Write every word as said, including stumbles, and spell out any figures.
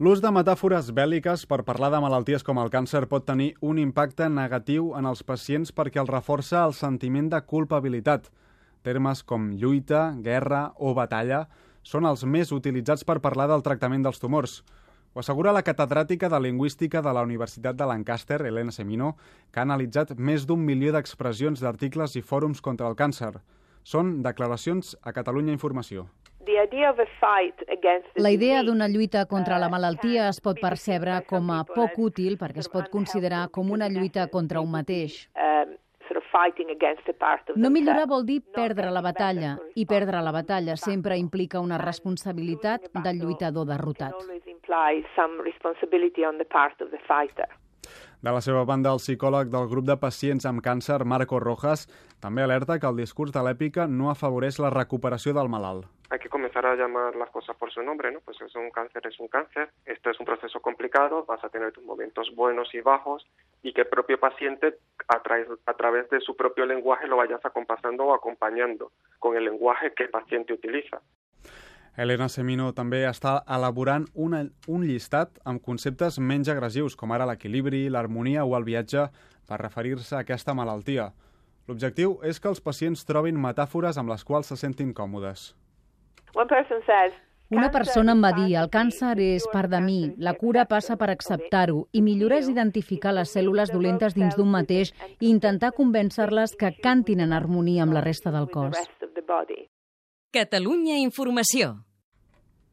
L'ús de metàfores bèl·liques per parlar de malalties com el càncer pot tenir un impacte negatiu en els pacients perquè els reforça el sentiment de culpabilitat. Termes com lluita, guerra o batalla són els més utilitzats per parlar del tractament dels tumors. Ho assegura la catedràtica de Lingüística de la Universitat de Lancaster, Elena Semino, que ha analitzat més d'un milió d'expressions d'articles i fòrums contra el càncer. Són declaracions a Catalunya Informació. La idea d'una lluita contra la malaltia es pot percebre com a poc útil perquè es pot considerar com una lluita contra un mateix. No millorar vol dir perdre la batalla, i perdre la batalla sempre implica una responsabilitat del lluitador derrotat. De la seva banda, el psicòleg del grup de pacients amb càncer, Marco Rojas, també alerta que el discurs de l'èpica no afavoreix la recuperació del malalt. Hay que comenzar a llamar las cosas por su nombre, ¿no? Pues es un cáncer, es un cáncer. Esto es un proceso complicado, vas a tener tus momentos buenos y bajos y que el propio paciente a, tra a través de su propio lenguaje lo vayas acompasando o acompañando con el lenguaje que el paciente utiliza. Elena Semino també està elaborant una, un llistat amb conceptes menys agressius, com ara l'equilibri, l'harmonia o el viatge, per referir-se a aquesta malaltia. L'objectiu és que els pacients trobin metàfores amb les quals se sentin còmodes. Una persona em va dir, el càncer és part de mi, la cura passa per acceptar-ho i millorar és identificar les cèl·lules dolentes dins d'un mateix i intentar convèncer-les que cantin en harmonia amb la resta del cos. Catalunya Informació.